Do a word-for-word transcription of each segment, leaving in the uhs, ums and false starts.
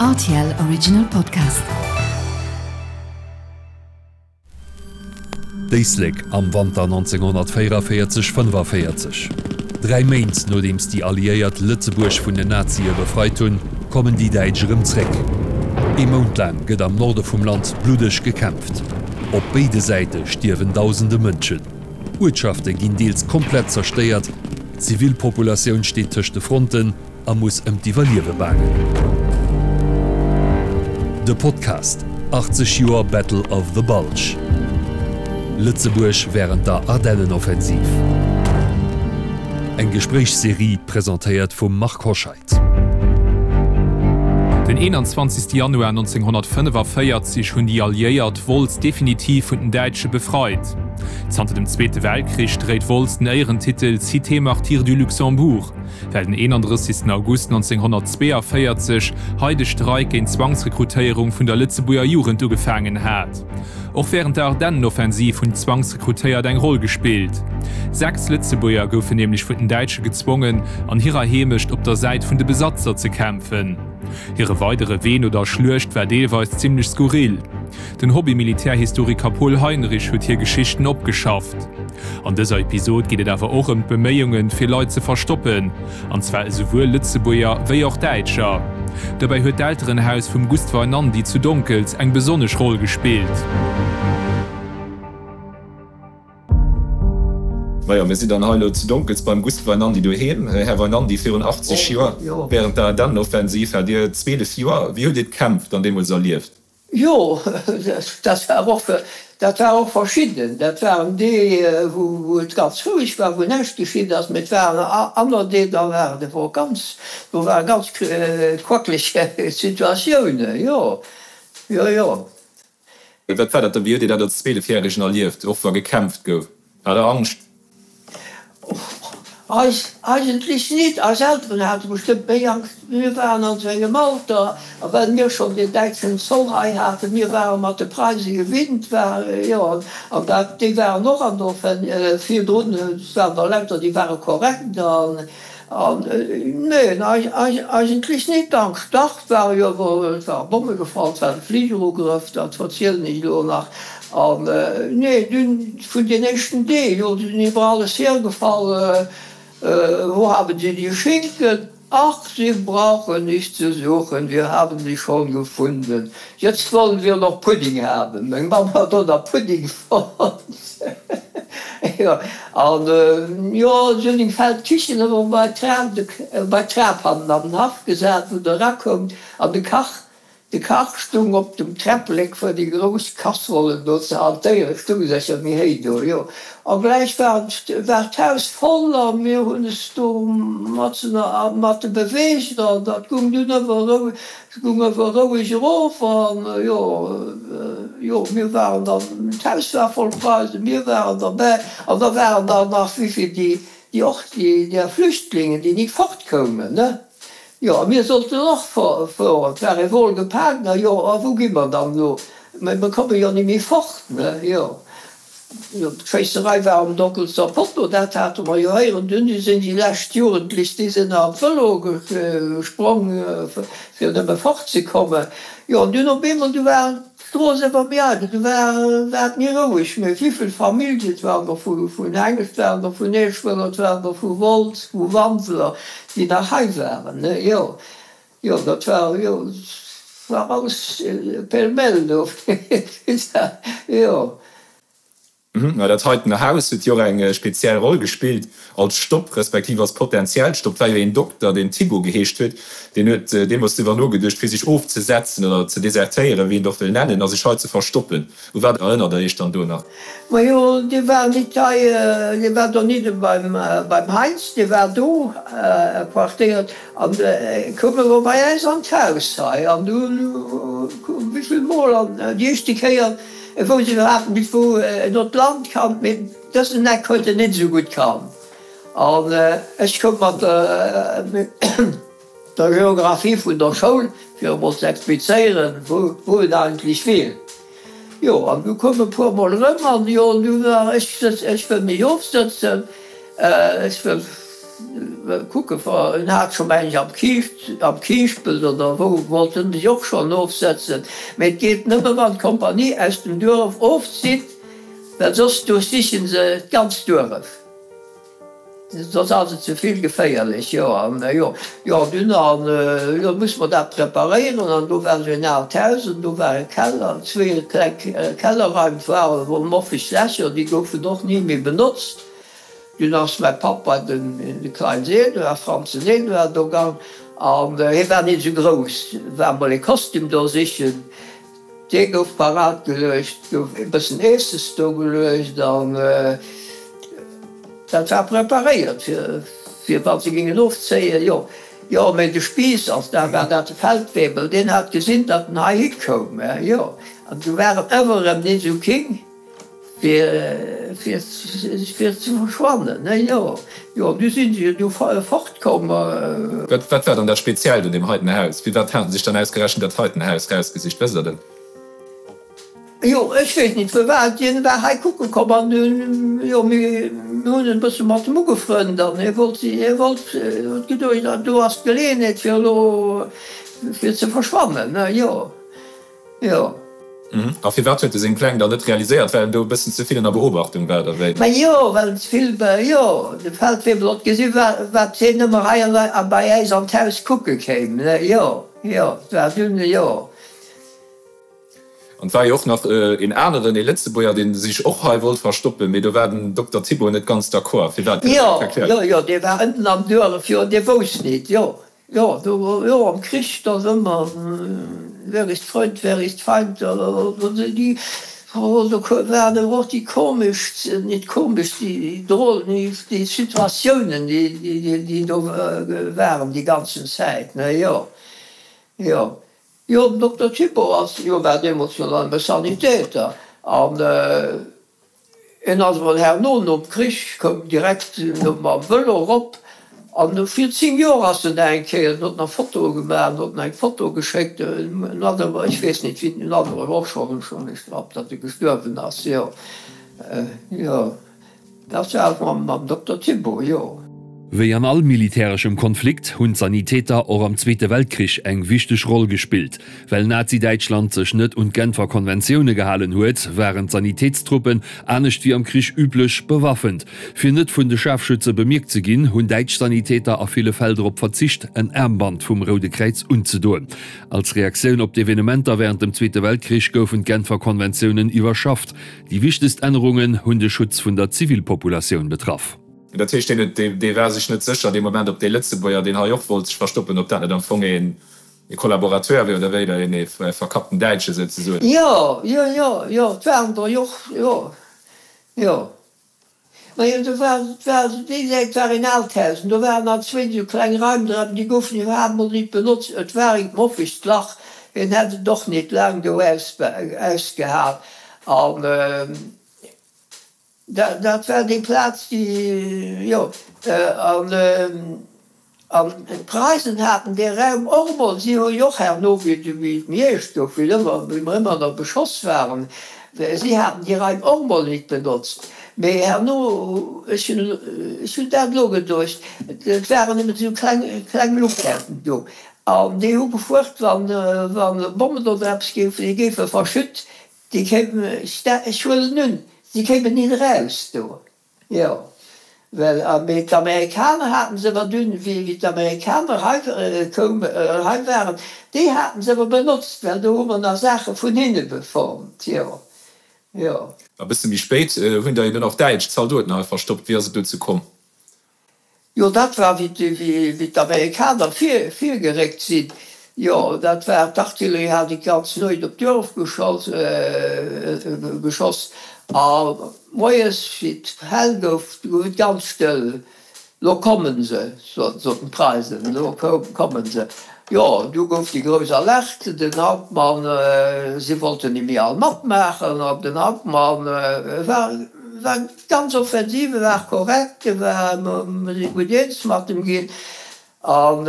R T L Original Podcast. D'Éislek am Wanter nonzénghonnertvéierevéierzeg fënnefaféierzeg. Dräi Méint nodeems déi Alliéiert Lëtzebuerg vun den Nazie befreit hunn, kommen déi Däitsch erëm zréck. Ee Mount laang gëtt am Norde vum Land bluddeg gekämpft. Op béide Säite stierwen dausende Mënschen. Uertschafte ginn deels komplett zerstéiert, d'Zivilpopulatioun steet tëscht de Fronten a muss ëm d'Iwwerliewe baangen. De Podcast, achtzeg Joer Battle of the Bulge, Lëtzebuerg wärend der Ardennenoffensiv. Eng Gespréichsserie presentéiert vum Marc Hoscheid. Den eenanzwanzegste Januar nonzénghonnertfënnefavéierzeg hunn déi Alliéiert Wolz definitiv vun den Däitsche befreit. Zanter dem Zweete Weltkrich dréit Wolz den Éierentitel Cité martyre du Luxembourg, well den eenandrëssegsten August nonzénghonnertzweeënvéierzeg hei de Streik géint d'Zwangsrekrutéierung vun der Lëtzebuerger Jugend ugefaangen hat. Och wärend der Ardennenoffensiv hunn d'Zwangsrekrutéiert eng Roll gespillt. Sechs Lëtzebuerger goufen nämlech vun den Däitsche gezwongen, an hirer Heemecht op der Säit vun de Besatzer ze kämpfen. Hire weidere Wee no der Schluecht war deelweis zimmlech skurril. Den Hobby-Militärhistoriker Paul Heinrich huet hir Geschichten opgeschafft. An dëser Episod geet et awer och ëm d'Beméiungen, fir Leit ze verstoppen, an zwar esouwuel Lëtzebuerger wéi och Däitscher. Dobäi huet d'Elterenhaus vum Gust Weinandy zu Donkels eng besonnesch Roll gespillt. Majo, mir sinn dann hei elo zu Donkels beim Gust Weinandy doheem. Här Weinandy, virun achtzeg Joer, wärend der Ardennenoffensiv, hat Dir zweelef Joer. Wéi hutt Dir d'Kämpf dann deemools erlieft? Jo, dat war och, dat war och verschidden. Dat waren déi, wou et ganz roueg war, wou näischt geschitt ass, mee et waren aner Deeg, da waren et wor ganz, do ware ganz quackleg Situatiounen, jo, jo, jo. Wat war dat dann, wéi hutt Dir dat als Zweelefjäregen erlieft, och wa gekämpft gouf? Hat Der Angscht? Eis eigentlech nit. Eis Elteren hate bestëmmt méi Angscht. Mir waren an sou engem Alter, a well mir schonn deen däitschen Zoll hei haten, mir ware mat de Preise gewinnt, war, jo, an dat, déi waren och an der Offen virdrun, et waren der lauter, déi ware korrekt an, An neen, eigentlech nit. Angscht, dach, et ware jo awer, et ware Bomme gefall, et war de Fligerugrëff, dat verzielen ech elo nach. An nee, dunn vun den éischten Deeg, jo, du sinn iwwer alles hiergefall, Wo haben Sie die Schinken? Ach, Sie brauchen nicht zu suchen, wir haben sie schon gefunden. Jetzt wollen wir noch Pudding haben. Meng Mamm hat do nach Pudding fonnt. Jo, an jo, si hunn eng Feldkichen ëmmer bei d'Trap, bei d'Trap hannen an den Haff gesat, wou der erakoumt, an de Kach, de Kach stung op dem Träpplek, fir déi grouss Kasserollen do ze hantéieren, stung sécher méi héi do, jo. A gläich war, war d'Haus voll a mir hunn es do matzen a mat beweegt an dat gung dunn ëmmer erou, Et goung awer roueg erof an jo, jo, mir waren dann, d'Haus war voll Preisen, mir waren derbäi an da waren der nach wéivill, déi, déi och, déi, där Flüchtlingen, déi nit fortkoumen, ne? Jo, a mir sollten och fueren, et war ee Vol gepaakt, na jo, a wou gi mer dann elo? Mä mir komme jo ni méi fort, ne? Jo. D'Schéisserei war um Donkelster Potto, dat hate mer jo héieren. Dunn sinn déi lescht Jugendlech, déi sinn an d'Vëlo gesprong, fir nëmme fortzekommen. Jo, an dunn op eemol, du war d'Strooss awer méi eidel, du war war et méi roueg. Mee wéivill Familljen, et waren der vun Hengelt, et waren der vun Eeschwëller, et waren der vu Wolz, vu Wanseler, déi nach hei waren, ne? Jo, jo, dat war, jo, war alles pêle-mêle do, jo. Mä dat heiten Haus huet jo och eng speziell Roll gespillt als Stopp, respektiv als potentiellt Stopp. Et war jo een Dokter, deen Thibault geheescht huet, deen huet deemools driwwer nogeduecht, fir sech ofzesetzen oder ze desertéieren, wéi een et och wëll nennen, a sech hei ze verstoppen. U wat erënnert Der Iech dann do nach? Majo, dee war nit hei, dee war donidde beim Heinz, dee war do quartéiert an koum elo bei äis an d'Haus hei. An du wéivill Mol, an déi éischte Kéier, E wousst iwwerhaapt nit wou en no d'Land kannt, mee dësen Eck huet en nit esou gutt kannt. An ech koum mat der Geographie vun der Schoul, fir emol ze explizéieren, wou en eigentlech wier. Jo, an du koum e puer mol erëm an jo, du war ech, ech wëll mech ofsëtzen, ech wëll kucke en hat scho meng ech am Kiischt, am Kiischpelt oder wou wollt en sech och schonn ofsetzen, mee et geet nëmme wann d'Kompanie aus dem Duerf ofzitt, well soss duerchsichen se d'ganzt Duerf. Soss ass et ze vill geféierlech, jo. An jo, jo, dunn an jo muss mer dat preparéieren an do war esou en aalt Haus an do war e Keller, zwee kleng Kellerraim waren, wou moffeg Lächer, déi goufen och ni méi benotzt. Dunn ass mäi Papp bei den de Kleins Eduard, Franzen Eduard do gang an hie war nit esou grouss, war mol e Kostüm do sichen, dee gouf parat geluecht, gouf e bëssen Eesses do geluecht an dat war preparéiert fir fir wa se gingen ofzéien, jo. Jo, mee de Spiiss, also dat war dat de Feldwebel, deen hat gesinn, datt en heihi koum, jo, an du war et ëmmer erëm nit esou king. Fir, fir, fir ze verschwannen, ne, jo, jo, du sinn se jo du fort komm. Wat, wat war dann dat Speziellt un deem heiten Haus? Firwat haten se sech dann ausgerechent dat heiten Haus rausgesicht? Wësst Der dat? Jo, ech weess nit firwat. Hien war hei kucke komm an dunn, jo, mir hunn en e bësse mat em ugefrënnt an hie wollt, hie wollt, huet geduecht, do ass d'Geleeënheet fir elo, fir ze verschwannen, ne, jo, jo. A firwat huet e seng Pläng dann net realiséiert? Well en do e bëssen ze vill ënner Beobachtung war, oder wéi? Ma jo, well en ze vill, jo, de Feldwebel hott gesi wat hien ëmmer hei a bei äis an d'Haus kucke kéim, ne, jo, jo, et war dunn, jo. An et war jo och nach een aneren, ee Lëtzebuerger, dee sech och hei wollt verstoppen, mee do war den Dokter Thibault net ganz d'accord. Firwat? Kënnt Der dat erklären? Jo, jo, jo, dee war ënnen am Duerf, jo, dee wousst nit, jo. Jo, do, jo, am Krich, da ass ëmmer, Wer ist Freund, wer ist Feind, déi, oh, do waren awer och déi komeschst, nit komesch, déi drol, déi Situatiounen, déi, déi do waren déi ganzen Zäit, ne, jo, jo. Jo, den Dokter Thibault ass, jo, war deemools jo nach nëmme Sanitäter an, En ass emol herno nom Krich, koum direkt no mam Vëlo erop an no vir zéng Joer ass en nach eng Kéier, en huet nach Fotoe gemaach, en huet mer eng Foto geschéckt, en hat awer, ech weess net wéi, en hat awer och schonn, schonn, ech glaub, datt e gestuerwen ass, jo, jo, dat war mam, mam Dokter Thibault, jo. Wéi an all militäreschem Konflikt hunn d'Sanitäter och am Zweete Weltkrich eng wichteg Roll gespillt. Well Nazi-Däitschland sech net un d'Genfer Konventioune gehalen huet, waren d'Sanitätstruppen, anescht wéi am Krich üblech, bewaffent. Fir net vun de Schaarfschütze bemierkt ze ginn, hunn däitsch Sanitäter a ville Fäll drop verzicht, en Aarmband vum Roude Kräiz unzedoen. Als Reaktioun op d'Evenementer wärend dem Zweete Weltkrich goufen d'Genfer Konventiounen iwwerschafft. Déi wichtegst Ännerungen hunn de Schutz vun der Zivilpopulatioun betraff. Dat heescht, deen huet, dee war sech net sécher dee Moment, ob dee Lëtzebuerger, deen hei och wollt sech verstoppen, ob dat net am Fong een ee Kollaborateur wier oder wéi, oder een ee verkappten Däitsche souzesoen. Jo, jo, jo, jo, et waren der jo och, jo, jo. Majo, do war, et war, déi Säit war een aalt Haus an do waren nach zwéin esou kleng Raim dran, déi goufen iwwerhaapt mol nit benotzt. Et war eent moffegt Lach, hien hätt et och nit laang do ausgehal an. Dat war déi Plaz, déi, jo, an d'Preisen haten dee Raum och emol, si hu jo och herno, wéi et méi eescht gouf, wéi ëmmer, wéi mer ëmmer nach beschoss waren, si haten déi Raim och emol nit benotzt. Mee herno, ech hunn, ech hunn dat elo geduecht, et waren nëmmen esou kleng, kleng Lukaarten do, an déi hu gefuert, wann, wann Bommen oder eppes géifen, déi géife verschütt, Déi kéimen, ech huelen un, si kéimen nit eraus do, jo, well, mee d'Amerikaner haten se awer dunn, wéi d'Amerikaner hei koumen, hei waren, déi haten se awer benotzt, well do hu mer nach Saache vun hinne fonnt, jo, jo. E bësse méi spéit hunn der jo dunn och däitsch Zaldoten hei verstoppt. Wéi ass et dozou komm? Jo, dat war, wéi d'Amerikaner virgeréckt sinn. Jo, dat war, d'Artillerie hat déi ganz Nuecht op d'Duerf geschoss. A moies, wéi et hell gouf, du gouf et ganz stëll. Lo kommen se, soten d'Preisen, lo kommen se. Jo, du gouf déi grouss Alerte, den Hauptmann, si wollten ni méi all matmaachen, an den Hauptmann war, war ganz offensiv, e war korrekt, e war, mer si gutt eens mat em ginn, an,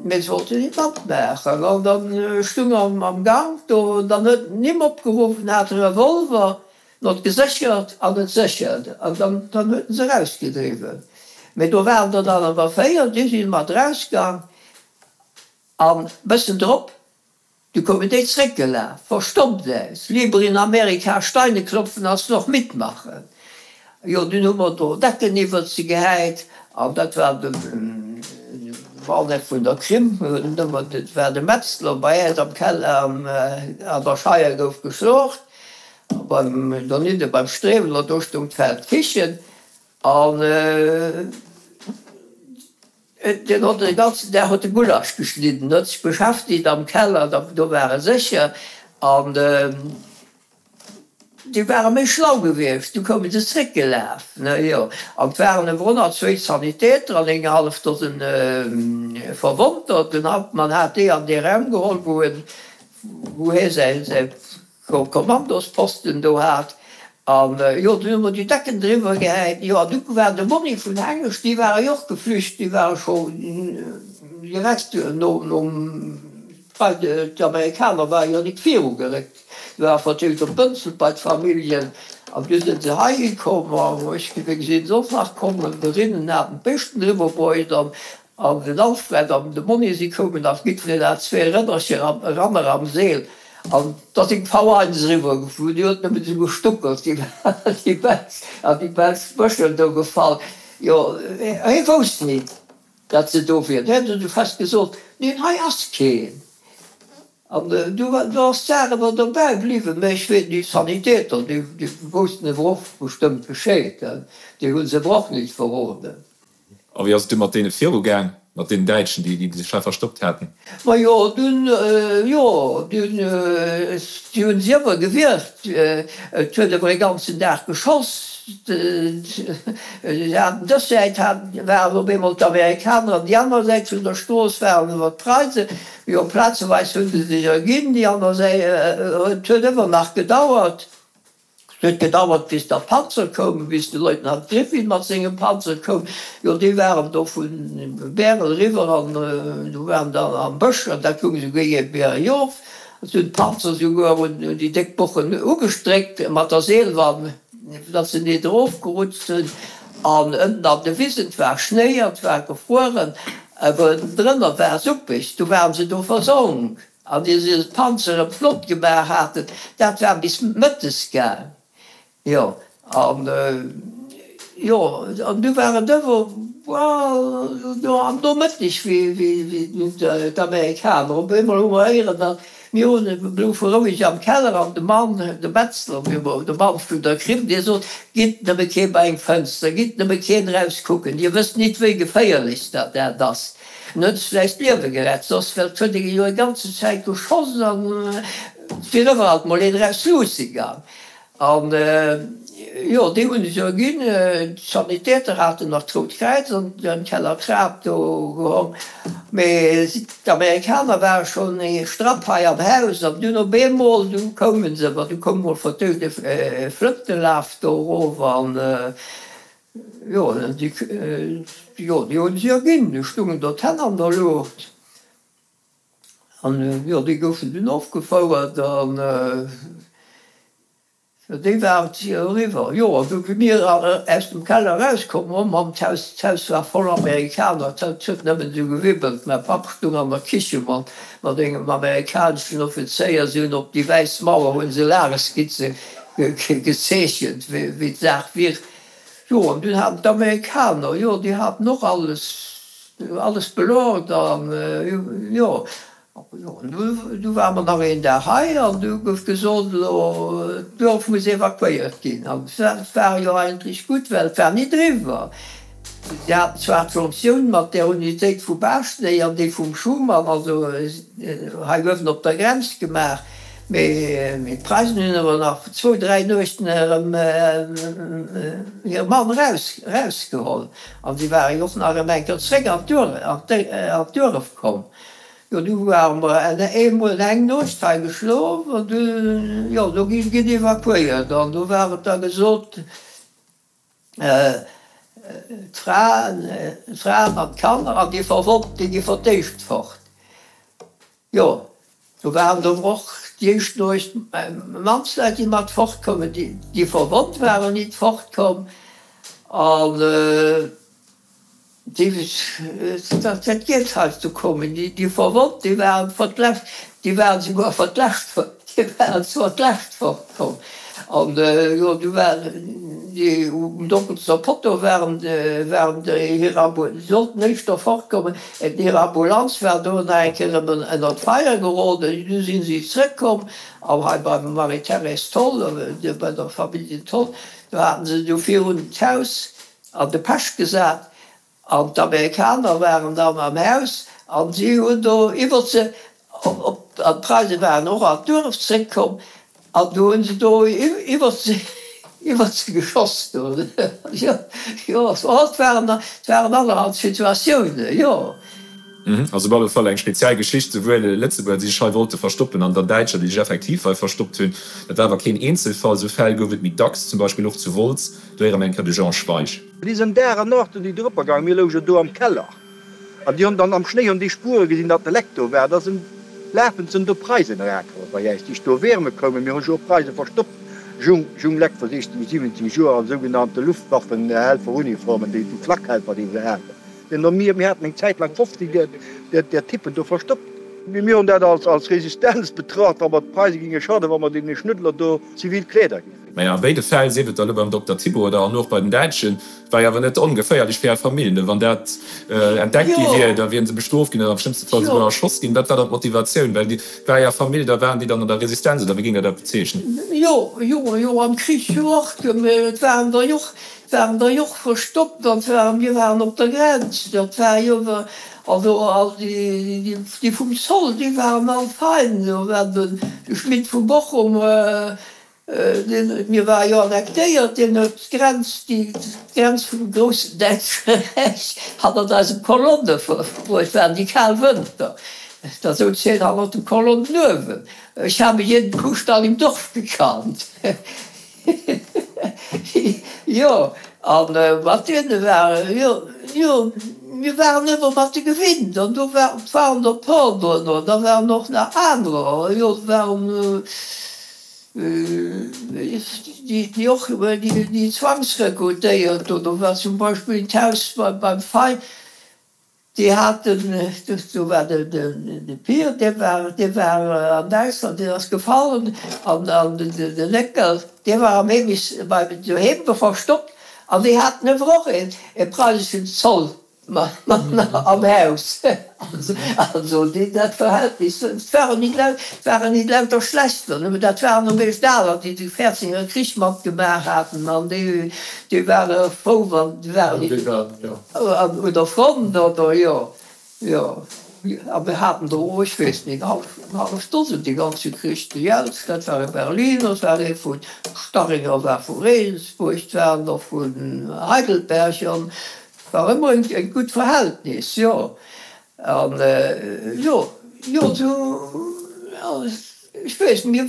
mee se wollten nit matmaachen. An dann stung en am Gank do, an dann huet en Nimm opgeruff, en hat e Revolver, en huet geséchert an et séchert, an dann, dann huet en se erausgedriwwen. Mee do waren der dann awer véier, déi si mat erausgaang an bëssen drop, du koumen déi zréckgelaf, verstommt aus, lieber in Amerika Steine klopfen als noch mitmachen. Jo, dunn hu mer do Decken iwwert se gehäit an dat war de Waldeck vun der Krim, dat war de Metzler bei äis am Keller an der Scheier gouf geschlocht a beim donidde beim Streweler do stoung d'Feldkichen an deen hott de ganzen Dag huet de Gulasch geschnidden, huet sech beschäftigt am Keller, do war e sécher an. Déi ware méi schlau gewiescht, du koume se zréckgelaf, ne jo. An 't waren ewell honnertzwéi Sanitäter an eng hallef Dosen Verwonnter. Den Hauptmann hat déi an dee Raum geholl, wou en, wou hie säi, säi Kommandosposten do hat. An jo, dunn hu mer déi Decken driwwer gehäit. Jo, an du war de Monni vun Hengescht, déi ware jo och geflücht, déi ware scho direkt no, nom, well d'Amerikaner ware jo nik virugeréckt. Se war verdeelt op Bënzel bei d'Familljen an du sinn se heihi komm an ech wéi gesinn se och nach komm an de Rinnen haten d'Béischten eriwwer bruecht an an den Alfred an de Monni si koumen nach jiddwereen hat zwee Rënnercher am Ranner am Seel an da sinn d'V eins eriwwer gefuer, déi huet nëmmen esou gestuckelt, déi déi Belsch an déi belsch Bëschel do gefall, jo hie wousst nit dat se do wieren, hien huet esou fest gesot, neen hei ass keen. An du ass d'Saach ewer dobäi bliwwen. Mä ech weess, déi Sanitäter, déi woussten ewer och bestëmmt Bescheed, déi hu se ewer och nit verroden. A wéi ass et du mat deene virugaang, mat deenen Däitschen, déi sech hei verstoppt haten? Majo, dunn, jo, dunn, si hu si ewer gewierkt. Et huet ewer e ganzen Dag geschoss. Si haten dës Säit haten, waren op eemol d'Amerikaner an déi aner Säit vun der Strooss waren ewer d'Preisen. Jo, plazeweis hu se sech erginn, déi aner Säit, et huet ëmmer nach gedauert. Et huet gedauert, bis der Panzer koumen, bis de Leutnant Griffin mat sengem Panzer koum. Jo, déi waren do vu Bärel eriwwer an do waren der am Bësch an dat goung esouguer ier berjof. Et hunn d'Panzer esouguer un déi déck Bochen ugestréckt mat der Seelwann. Datt se nit erofgerutscht sinn. An ënnen an de Wisen, 't war Schnéi an 't war gefrueren, awer ënnendrënner war suppeg, du waren se do versonk. An ier se d'Panzer erëm flott gemaach haten, dat war bis mëttes gaang. Jo, an jo, an du war et ëwer, do am Nomëtteg, wéi d'Amerikaner op eemol hu mer héieren, datt Mir hunn e bloufe roueg am Keller an de Mann, de Metzler, de Mann vun der Krimm, dee sot, Gitt nëmme kee bei eng Fënster, gitt nëmme keen eraus kucken, Dir wësst nit, wéi geféierlech dat dat ass. En huet sech äis d'Liewe gerett, soss well 't huet ee jo eng ganze Zäit geschoss an 't wier iwweralt mol een eraus luusse gaang. An jo, déi hunn ech jo ginn. D'Sanitäter haten nach d'Rout Kräiz an den Keller Trap do gehong. Mee d'Amerikaner ware schonn ee Strapp hei am Haus. An dunn op eemol, du koume se, du koum mol vertëscht e Flëntelaf do erof an jo, déi, jo, déi hunn se jo ginn. Du stungen do d'Hänn an der Luucht. An jo, déi goufen dunn ofgefouert an. Déi war et eriwwer. Jo, an du wéi mir aus dem Keller erauskomm, oh Mann, d'Haus, d'Haus war voll Amerikaner, et huet nëmmen esou gewibbelt. Mäi Papp stung an der Kiche mat, mat engem amerikaneschen Offizéier, si hunn op déi wäiss Mauer hu se Lageskizze gezeechent, wéi, wéi d'Saach wier. Jo, an dunn haten d'Amerikaner, jo, déi haten och alles, alles belort an, jo. Du ware mer nach een Dag hei an du gouf gesot, elo d'Duerf muss evakuéiert ginn. An dat war jo eigentlech gutt, well et war nit eriwwer. Si haten zwar d'Jonktioun mat där Unitéit vu Baaschtnech an déi vum Schuman, also hei uewen op der Grenz gemaach, mee d'Preisen hunn awer nach zwou, dräi Nuechten erëm hir Mann erausgeholl. An si ware jo och nach erëm eng Kéier zréck an d'Duerf komm. Jo, du ware mer eemol eng Nuecht hei geschlof an du, jo, do gi ginn evakuéiert an do war et da gesot, d'Fraen, d'Fraen an d'Kanner an déi Verwonnt, déi gi fir d'éischt fort. Jo, do waren der och déi éischt Nuecht Mannsleit, déi mat fortkoumen, déi, déi verwonnt waren, nit fortkomm an. Déi, dat dat geet heiansdo kommen, déi, déi verwonnt, déi waren fir d'lescht, déi waren souguer fir d'lescht, déi waren zwar d'lescht fortkomm. An jo, du waren déi um Dockelser Potto waren, waren déi hir Ambu, déi sollten éischter fortkommen, hir Ambulanz war do nach eng Kéier ënner, ënner d'Feier geroden, du sinn si zrëckkomm an hei beim Marie-Thérèse Tholl, bei der Familljen Tholl, do haten se du virun d'Haus an de Pesch gesat. An d'Amerikaner waren dann am Haus an si hunn do iwwert se op, an d'Preise waren och an d'Duerf zréckkomm an do hunn se do iwwert se, iwwert se geschoss do. Jo, jo, et waren, et waren allerhand Situatiounen, jo. Also op alle Fall eng speziell Geschicht, souwuel Lëtzebuerger, déi sech hei wollte verstoppen, an dann Däitscher, déi sech effektiv hei verstoppt hunn. Dat war awer keen Eenzelfall, esou Fäll gouf et méi dacks, zum Beispill och zu Wolz. Do héiere mer eng Kéier de Jean Schweich. Déi sinn Dag an Nacht un déi drëpper gaangen. Mir louchen do am Keller an déi hunn dann am Schnéi hunn déi Spuere gesinn, datt de Leck do war. Da sinn lafend sinn do Preisen erakomm bei äis, déi do wärme koumen. Mir hu jo och Preise verstoppt, jung, jung Leck vu sechzéng, siwwenzéng Joer an sougenannte Luftwaffenhelferuniformen, déi Flakhelfer, déi se haten. Mir, mir haten eng Zäit laang fofzéng där, där, där Typen do verstoppt. Mir hunn dat als, als Resistenz betracht, wa mer d'Preise ginge schaden, wa mer deene Schnuddler do zivil Kleeder géife. Mä a béide Fäll, sief et da elo beim Dokter Thibault oder an och bei den Däitschen, war jo awer net ongeféierlech fir är Famill, ne? Wann dat entdeckt gi wier, da wieren se bestrooft ginn oder am schlëmmste Fall souguer erschoss ginn. Wat war dann d'Motivatioun? Well déi war är Famill, da waren déi dann an der Resistenz oder wéi géing Der dat bezeechnen? Jo, jo, jo, am Krich jo och. Et waren der jo och, waren der jo och verstoppt an war, mir waren op der Grenz, dat war jo, also all déi, déi vum Zoll, déi waren all fein, do war de Schmidt vu Bochum, deen, mir war jo annektéiert, deen huet d'Grenz, déi d'Grenz vum groussen Däitsche Räich hannert eise Kolonne verbruecht, waren déi kal Wënter, da souz hien hannert de Kolonnen uewen. Ich habe jeden Kuhstall im Dorf gekannt. Jo, an mat deene ware, jo, jo, mir waren ëmmer mat de gewinnt an do war, waren der e puer dono, da waren och nach anerer, jo, et waren déi, déi och, déi, déi zwangsrekrutéiert do, do war zum Beispill d'Haus beim Fei, Déi haten, do war de Pier, dee war, dee war an Däitschland, deen ass gefallen, an de Néckel, dee war am Heemis bei doheem verstoppt, an déi haten awer och ee preiseschen Zollmann am Haus. Also déi, dat Verhältnis, et waren nit lau, et waren nit lauter Schlechter, nëmme dat waren um meescht aler, déi de Fäerzinger Krich matgemaach haten, an déi, déi ware frou, wann, déi waren nit. An un der Front, oder? Jo, jo. A mir haten der och, ech weess net, eng hallef Dosen déi ganz gekricht. De Jeltz, dat war e Berliner, et war ee vu Staringer, war vu Regensburg, et waren der vu Heidelberg. An et war ëmmer e gutt Verhältnis, jo. An jo, jo, sou, jo. Ech weess, mir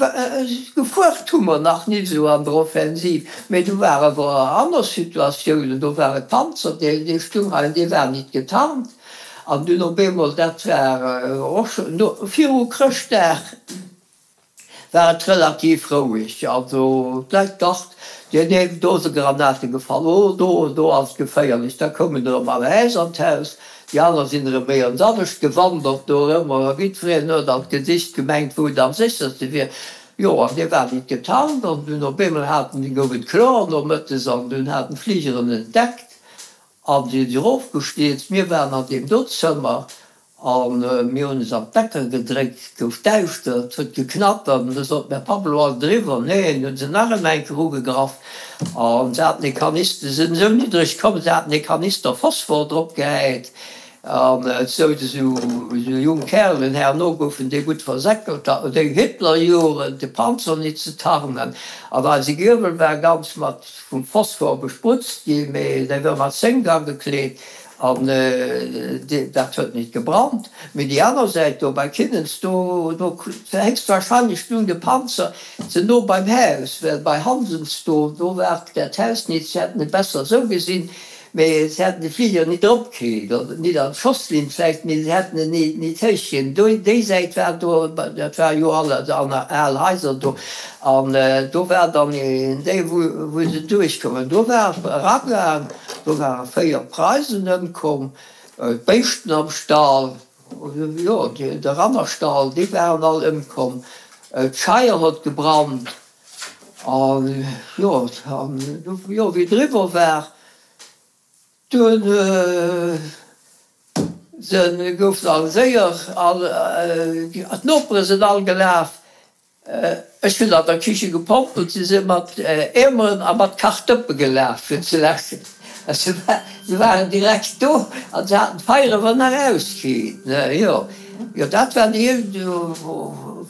gefuert hu mer nach nit esou an der Offensiv, mee do war awer aner Situatiounen, do war e Panzer, dee stung hei an dee war nit getarnt an dunn op eemol, dat war och schonn no, viru Chrëschtdag war et relativ roueg, also d'Leit dacht, deen een, do se Granate gefall, oh do, do ass et geféierlech, da koumen erëm Malaise an d'Haus. Déi aner sinn erëm méi ans anescht gewandert do erëm, a jiddwereen huet an d'Gesicht gemengt, wou et am sécherste wier. Jo, an dee war nit getarnt, an dunn op eemol haten, gouf et kloer nomëttes, an dunn haten d'Fligeren entdeckt a si si erofgestierzt. Mir waren an deem do Zëmmer a mir hunn es an d'Decker gedréckt, et gouf däischter, et huet geknattert, an du sot mir, Papp, elo ass et eriwwer. Nee, dunn hunn se nach ëm eng Kéier ugegraff. An se haten e Kanister, se sinn esou niddreg komm, se haten e Kanister Phosphor drop gehäit. An et souz esou jung Kärelen, herno goufen déi gutt versäckelt, déi Hitlerjugend, de Panzer nit ze tarnen. An eise Giewel war ganz mat vum Phosphor besprutzt ginn, mee dee war mat Zénk agekleet. An dat huet nit gebrannt. Mee déi aner Säit do bei Kinnens, do do héchstwahrscheinlech stung de Panzer ze no beim Haus, well bei Hansens do, do war dat Haus nit, se hätten et besser esou gesinn. Mee se hätten de Fliger nit erop kritt, oder nit an d'Schosslinn vläicht, mee se hätten en nit héich kritt. Do, déi Säit war do, dat war jo all al Haiser do, an do war dann een déi, wou, wou se duerchkoumen. Do war et eragaang, do ware véier Preisen ëmkomm, d'Béischten am Stall, jo, de Rannerstall, déi waren all ëmkomm, d'Scheier huet gebrannt, an jo, an jo, wéi et eriwwer war, Dunn se goufen all séier, all, d'Nopere sinn all gelaf. Ech hunn an der Kiche gepompelt, si si mat Eemeren a mat Kachdëppe gelaf fir ze läschen. Se waren direkt do an se haten d'Feier awer nach auskritt. Jo, jo, dat war déi,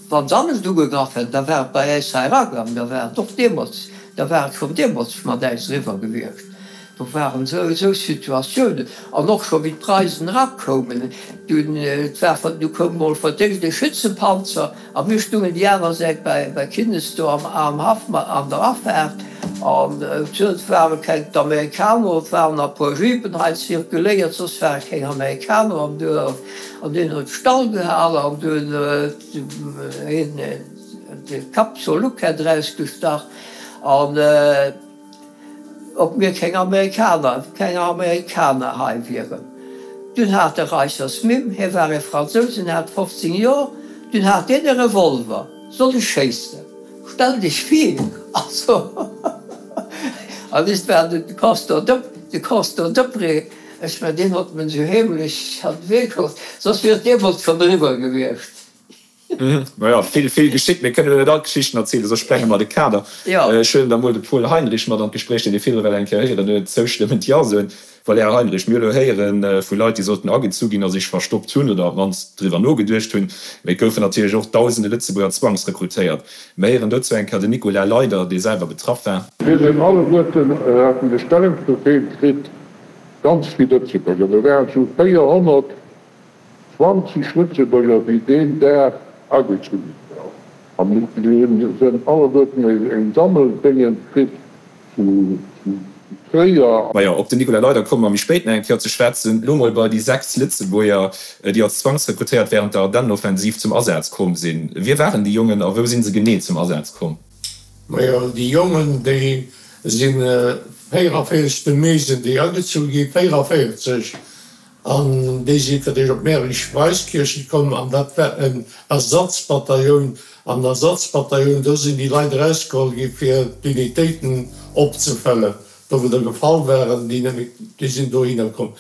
wann se anescht ugegraff hätten, da war et bei äis hei eragaang, da war et och deemools, da war et schonn deemools mat äis eriwwer gewiescht. Do waren esou Situatiounen, an och scho wéi d'Preisen erakoumen, dunn, et war, du koum mol fir d'éischt e Schützenpanzer a mir stungen déi aner Säit bei, bei Kinnes do am, am Haff an der Afaart an et ware keng, d'Amerikaner, et waren nach e puer Jeepen hei zirkuléiert, soss ware keng Amerikaner am Duerf an deen huet Stall gehal an dunn huet hien de Kapp zur Luck erausgestach an. Ob mir keng Amerikaner, keng Amerikaner hei wieren. Dunn hat de Reichers Mimm, hie war e Fransous, en hat fofzéng Jor, dunn hat deen e Revolver, Soll ech schéissen? Stell dech vir, also, an ist war de Castor de, de Castor Deprez, ech mengen, deen hott men esou heemlech an de Wee geholl, soss wier et deemools schonn eriwwer gewiescht. Maja, vill, vill geschitt. Mir kënnen elo net all d'Geschichten erzielen, soss sprenge mer de Kader. Ech huelen da mol de Paul Heinrich mat an d'Gespréich, deen ee virdru well eng Kéier héieren huet, zoustëmmend Jo soen. Well, Här Heinrich, mir hu elo héiere vu Leit, déi sollten agezu ginn a sech verstoppt hunn oder op d'mannst driwwer nogeduecht hunn. Mee et goufen natierlech och dausende Lëtzebuerger zwangsrekrutéiert. Mir héieren dozou eng Kéier den Nicolas Leyder, dee selwer betraff war. Mir sinn alleguerten, haten de Stellungsbefehl kritt, ganz vill Lëtzebuerger, mir waren esou véierhonnert, Zwanzeg Lëtzebuerger, déi deen Dag agezu gi waren. A mir hunn alleguerten eng Sammeldéngen kritt zu Tréier. Majo, op den Nicolas Leyder komme mer méi spéit nach eng Kéier ze schwätzen. Elo mol bei déi sechs Lëtzebuerger, déi als Zwangsrekrutéiert wärend der Ardennenoffensiv zum Asaz komm sinn. Wie waren déi Jongen a wou si se genee zum Asaz komm? Majo, déi Jongen, déi si véieravierzeg de Mee sinn déi agezu gi, véieravierzeg. An déi si fir d'éischt op Mäerich-Weiskirchen komm, an dat war en Ersatzbatailloun. An Ersatzbatailloun, do sinn déi Leit erausgeholl gi fir d'Unitéiten opzefëllen, do wou der gefall waren, déi net méi, déi sinn dohinner komm.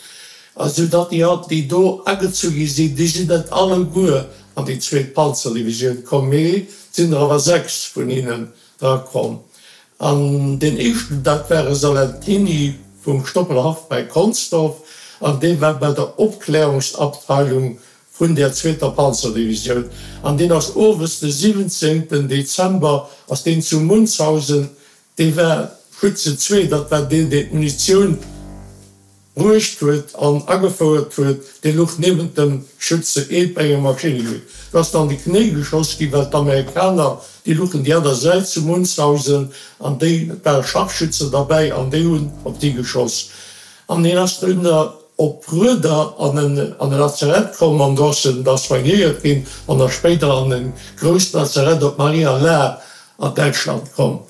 A sou datt déi haut, déi do agezu gi sinn, déi sinn net alleguer an déi zweet Panzerdivisioun komm, mee et sinn der awer sechs vun hinnen dra komm. An deen éischten, dat war e Salentini vum Stoppelhaff bei Consdorf, an dee war bei der Opklärungsabteilung vun där zweeter Panzerdivisioun. An deen ass owes de siwwenzéngten Dezember ass deen zu Munzhausen, dee war Schütze zwee, dat war deen, deen d'Munitioun bruecht huet an agefouert huet, dee luch niewent dem Schütze eent bei engem Maschinnegewier. Do ass en an de Knéi geschoss ginn, well d'Amerikaner, déi luchen déi aner Säit zu Munzhausen an déi, et ware Scharfschützen derbäi an déi hunn op déi geschoss. An hien ass dunn op Rueder an en an e Lazarett komm an do ass en da soignéiert ginn an da spéider an e grousst Lazarett op Maria Laach an Däitschland komm.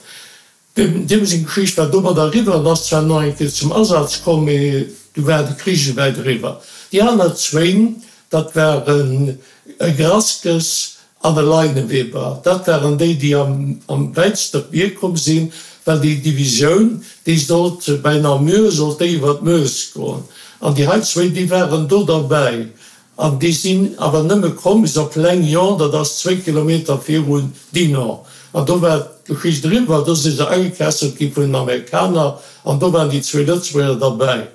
Deem seng Geschicht war domat eriwwer. En ass zwar nach eng Kéier zum Asaz komm, mee du war de Krich esouwäit eriwwer. Déi aner zwéin, dat waren e Graskes an e Leineweber. Dat waren déi, déi am wäitsten op d'Mier komm sinn, well déi Divisioun, déi sollt bei Namur, sollt déi iwwer d'Meuse goen. An déi hei zwéin, déi waren do derbäi. An déi sinn awer nëmme komm bis op Lannion, dat ass zwéi Kilometer virun Dinant. An do war d'Geschicht eriwwer, do si se agekesselt gi vun den Amerikaner an do waren déi zwee Lëtzebuerger derbäi.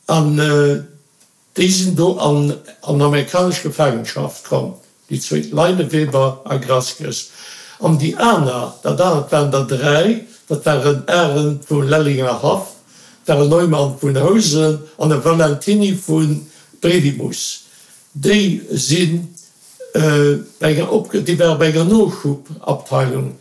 An déi sinn do an amerikanesch Gefaangenschaft komm, déi zwéi, Leineweber a Grasges. An déi aner, dat anert waren der dräi, dat war en Arendt vum Lellinger Haff, dat war en Neumann vun Housen an e Valentiny vu Bredimus. Déi si bei enger, déi ware bei enger Noschubabteilung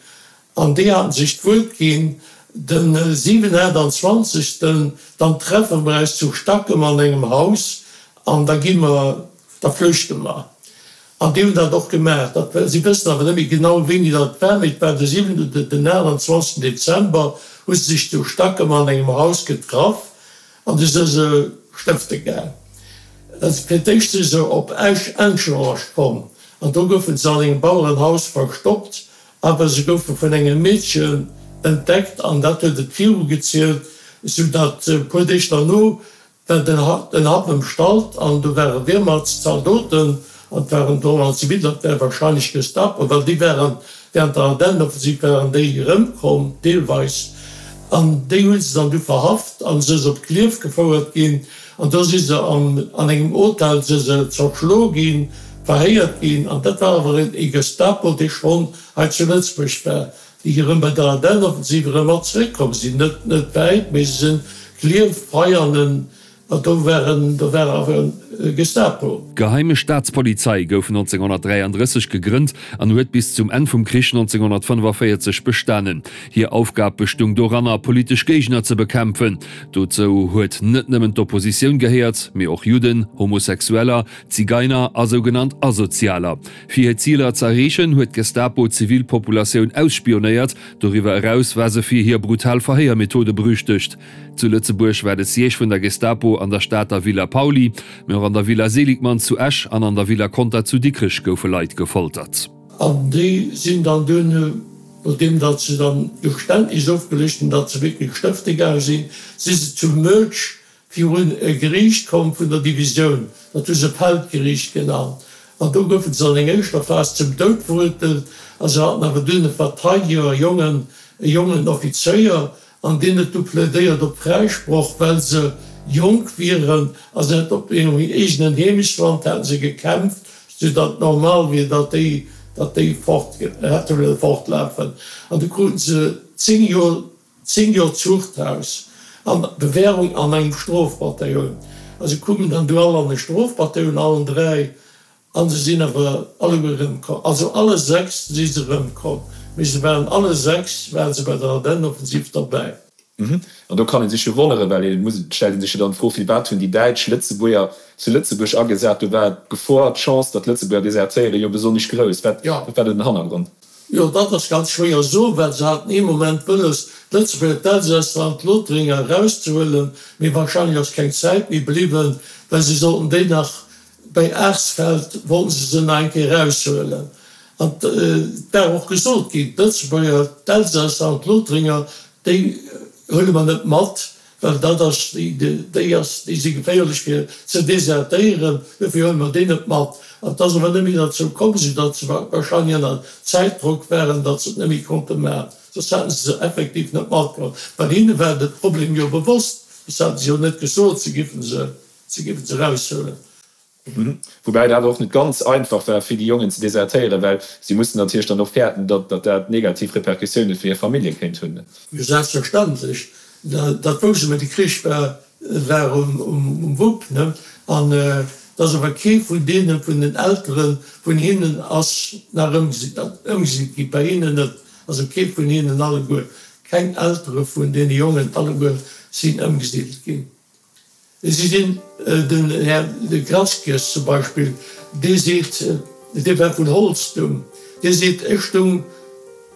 an déi haten sech d'Wuert ginn, den siwen achtundzwanzegsten dann treffe mer eis zu Stackem an engem Haus an da gi mer, da flüchte mer. An déi hunn dat och gemaach. Dat, si wëssen awer net méi genau, wéini dat war, mee et war de siwenten oder den achtundzwanzegsten Dezember, hu se sech zu Stackem an engem Haus getraff an du si se stëfte gaang. Fir d'éischt si se op Esch-Enscherosch komm an do goufe se an engem Bauerenhaus verstoppt, awer se goufe vun engem Meedchen entdeckt an dat huet et virugezielt, soudatt e puer Deeg derno war den Haff ëmstallt an do ware Wehrmachtszaldoten an et waren do an Zivil, dat war wahrscheinlech Gestapo, well déi waren während der Ardennenoffensiv waren déi erëmkomm deelweis an déi hu se dann du verhaft an se se op Klierf gefouert ginn an do si se an an engem Hotel si se zerschlo ginn, verhéiert ginn an dat war awer ee Gestapo, dee schonn hei zu Lëtzebuerg war. Déi erëm bei der Ardennenoffensiv erëm mat zeréckkomm sinn, net net wäit, mee se sinn Klierf, Veianen, an do waren do war awer e Gestapo. D'Geheime Staatspolizei gouf nonzénghonnertdräiandrësseg gegrënnt an huet bis zum Enn vum Krich nonzénghonnertfënnefavéierzeg bestanen. Hir Aufgab bestung doranner, politesch Géigner ze bekämpfen. Dozou huet net nëmmen d'Oppositioun gehéiert, mee och Judden, Homosexueller, Zigeiner a sougenannt Asozialer. Fir hir Ziler ze erreechen, huet d'Gestapo d'Zivilpopulatioun ausspionéiert. Doriwwer eraus war se fir hir brutal Verhéiermethode berüchtegt. Zu Lëtzebuerg war de Siège vun der Gestapo an der Stater Villa Pauly, mee och an der Villa Seligmann zu Esch an an der Villa Conter zu Dikrech goufe Leit gefoltert. An déi sinn dann duerno, nodeem datt se dann Geständnis ofgeluecht hunn, datt se wierklech stëfte gaange sinn, si se zu Moetsch virun e Geriicht komm vun der Divisioun, dat hu se Feldgeriicht genannt, an do goufe se an enger éischter Phas zum Doud verurteelt, a se haten awer dunn e Verteidiger, e jongen, e jongen Offizéier, an deen huet du plädéiert op Fräisproch, well se jonk wieren a se hätt op hirem eegenen Heemechtsland hätte se gekämpft, soudatt et normal wier, datt déi, datt déi fort hätte wëlle fortlafen. An du kruten se zéng Joer, zéng Joer Zuchthaus an Bewährung an engem Strofbataillon. A se koumen dann du all an e Strofbataillon, allen dräi, a se sinn awer alleguer erëmkomm. Also alle sechs si se erëmkomm, mee se waren alle sechs ware se bei der Ardennenoffensiv derbäi. An do kann ee sech jo wonneren, well ee muss, et stellt ee sech jo dann d'Fro, firwat hunn déi Däitsch Lëtzebuerger zu Lëtzebuerg agesat? Do war d'Gefor, d'Chance, datt Lëtzebuerger desertéieren, jo besonnesch grouss. Wat war do den Hannergrond? Jo, dat ass ganz schwéier soen, well se haten ee Moment wëlles, d'Lëtzebuerger, d'Elsässer an d'Lothringer erauszehuelen, mee wahrscheinlech ass keng Zäit méi bliwwen, well se sollten déi nach bäi Aarsfeld wollten se se nach eng Kéier eraushuelen. An et war och gesot ginn, d'Lëtzebuerger, d'Elsässer an d'Lothringer, déi huele mer net mat, well dat ass, déi ass, déi si geféierlech fir ze desertéieren, dofir huele mer déi net mat. An et ass awer net méi derzou komm, soudatt se wahrscheinlech ënner Zäitdrock waren, datt se et net méi konnte maachen. Soss hätte se se effektiv net matgeholl, well hinne war de Problem jo bewosst, soss hätte se jo net gesot, se giffen se, se giffen se eraushuelen. Woubäi et awer och net ganz einfach war, fir déi Jongen ze desertéieren, well si mussten natierlech dann och fäerten, datt dat negativ Repercussioune fir hir Famillje kéint hunn. Jo, selbstverständlech. Dat wousste mer. De Krich war war um Wupp, ne? An et ass awer kee vun deene vun den Eltere vun hinnen ass nach ëmgesitt gi, bei hinnen net. Also kee vun hinnen alleguer, keng Eltere vun deene Jongen alleguer sinn ëmgesiddelt ginn. Si sinn, den Här de Grasges zum Beispill, dee seet, dee war vun Holztum, dee seet, ech stung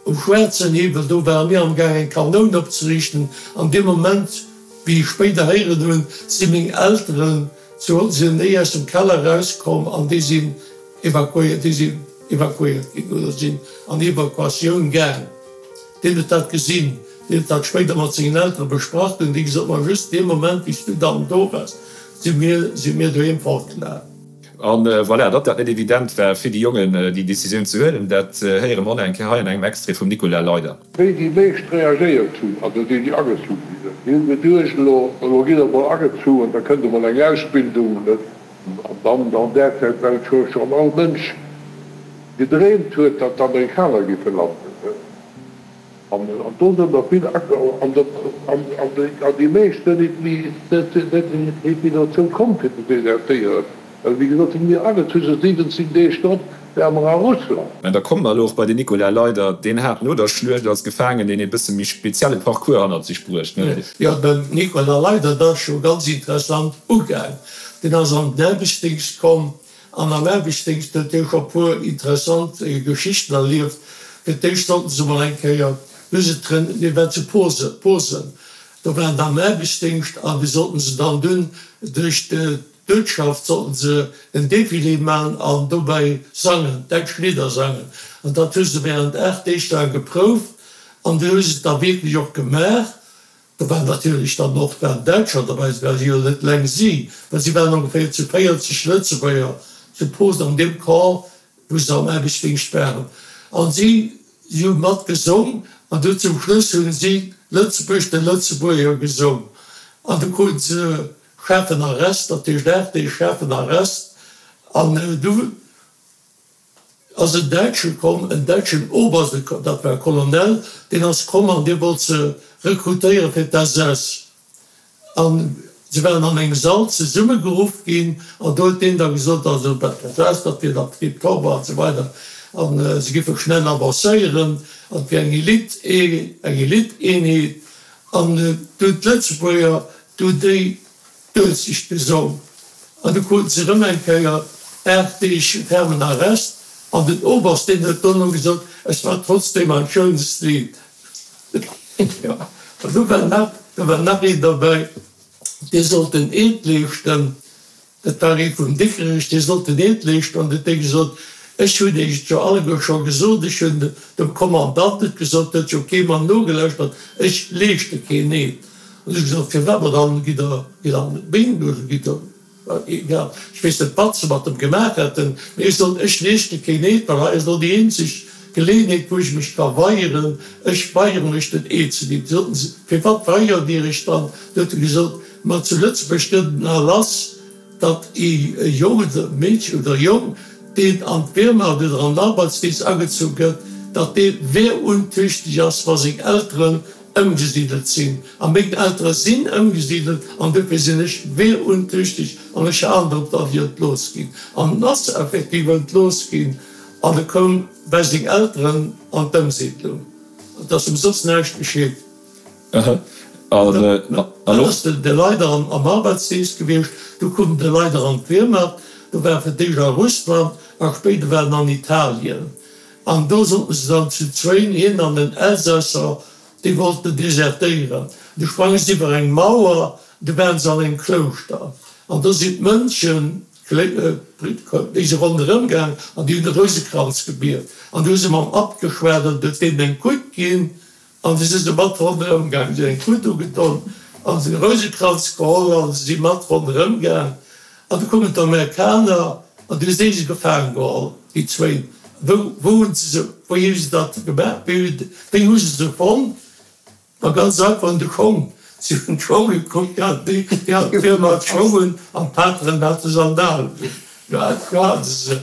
um schwaarzen Hiwwel, do ware mir amgaang eng Kanoun opzeriichten, an deem Moment, wéi ech spéider héieren hunn, si meng Elteren zu Holz, si sinn néi aus dem Keller erauskomm an déi sinn evakuéiert, déi sinn evakuéiert ginn oder sinn an Evakuatioun gaang. Deen huet dat gesinn, deen huet dat spéider mat sengen Eltere besprach, hunn déi gesot, ma just dee Moment, wéi s du dann do waars, si mir, si mir doheem fortgelaf. A voilà, datt dat net evident war fir déi Jongen, déi Decisioun ze huelen, dat héiere mer och nach eng Kéier hei an engem Extrait vum Nicolas Leyder. Wéi déi meescht reagéiert hunn, also déi, déi agezu gi sinn, déi hunn geduecht, elo, elo gitt Der emol agezu an da kënnt emol eng Ausbildung. An dann an där Zäit, well scho schonn all Mënsch gedreemt huet, datt d'Amerikaner géife landen. An do sinn der vill an déi meescht sinn net méi dozou komm fir ze desertéieren, well wéi gesot, si mir agezu se siwwenzéng Deeg drop Ware mer a Russland. Mä da komme mer elo och bei den Nicolas Leyder. Deen hat no der Schluecht als Gefaangenen een e bësse méi spezielle Parcours hannert sech bruecht, ne? Jo, den Nicolas Leyder, dat ass scho ganz interessant ugaang. Deen ass an den Aarbechtsdingscht komm an am Aarbechtsdingscht huet hie scho puer interessant Geschichten erlieft. Fir d'éischt sollten se mol eng Kéier, hu se train, mir waren zu Posen, Posen, do waren se am Aarbechtsdingscht an déi sollten se dann dunn duerch d'Uertschaft sollten se en Defilé man an dobäi sangen, däitsch Lidder sangen. An dat hu se während aacht Deeg laang geprouft an du hu se et da wierklech och gemaach. Do waren natierlech dann och waren Däitscher dobäi, et ware jo net eleng si, mä si waren ongeféier zu véierzeg Lëtzebuerger zu Posen an deem Camp, wou se am Aarbechtsdingscht waren. An si hu mat gesong an du zum Schluss hunn si Lëtzebuerg de Lëtzebuerger gesong an du kruten se Schaarfen Arrest, dat heescht aacht Deeg schaarfen Arrest an du ass en Däitsche komm, en däitschen Oberst, dat war e Colonel, deen ass komm an dee wollt se rekrutéiere fir d'SS. A se waren an engem Sall zesummegeruff ginn an do huet deen da gesot, also dat d'SS, dat wier da tiptop an esou weider an se géife schnell avancéieren an et wier eng Elite, eng Elite-Eenheet. An du hunn d'Lëtzebuerger du déi Duelzecht gesong an du kruten se erëm eng Kéier aacht Deeg fermen Arrest an den Oberst deen huet dono gesot, Es war trotzdem ein schönes Lied. Jo, an du war nach, do war nach een derbäi, dee sollt den Eed leeschten, dat war ee vun Dikrech, dee sollt den Eed leeschten an huet dee gesot, Ech hunn Iech et jo alleguer scho gesot, ech hunn dem Kommandant et gesot, huet jo kee mer nogelauschtert, ech leeschte keen Eed. Hunn ech gesot, firwat? Ma dann gitt der gitt an d'Minn oder gitt der, egal, ech weess net wat se mat em gemaach hätten, mee ech sot, ech leeschte keen Eed, well hei ass elo déi eenzeg Geleeënheet wou ech mech ka weigeren, ech weigere mech den Eed ze ginn. Soten se, firwat weigert Dir Iech dann? Du huet e gesot, ma zu Lëtzebuerg gëtt en Erlass, datt ee Jong oder Meedchen oder Jong, deen an d'Wehrmacht oder an den Arbeitsdienst agezu gëtt, datt dee wehruntüchtig ass, wa seng Elteren ëmgesidelt sinn. A meng Eltere sinn ëmgesidelt an dofir sinn ech wehruntüchtig an ech halen drop, datt ech entlooss ginn. An en ass effektiv entlooss ginn an e koum bei seng Elteren an d'Ëmsiidlung. Et ass em soss näischt geschitt. Dann ass de Leider am Arbeitsdienst gewiescht, du koum de Leider an d'Wehrmacht, do war e fir d'éischt a Russland a spéider war en an Italien. An do sollten se dann zu zwéin, hien an en Elsässer, déi wollten desertéieren. Du sprange se iwwer eng Mauer, du waren se an engem Klouschter. An do sinn d'Mönchen, déi si ronderëm gaang an déi hunn de Rousekranz gebiet. An du hu se mam Abt geschwat an huet deenen eng Kutt ginn. An du si se mat ronderëm gaang, si hunn eng Kutt ugedon an se hunn de Rousekranz geholl an se si mat ronderëm gaang. An du koumen d'Amerikaner an du hu se se gefaangen geholl, déi zwéin. Wou, wou hunn se se, wéi hu se dat gemaach, wéi hu, wéi hu se se fonnt? Ma ganz einfach un de Schong. Si hunn d'Schong gekuckt, déi haten déi, déi haten d'Firma d'Schong un an d'Pateren hate Sandalen un. Do hate se se,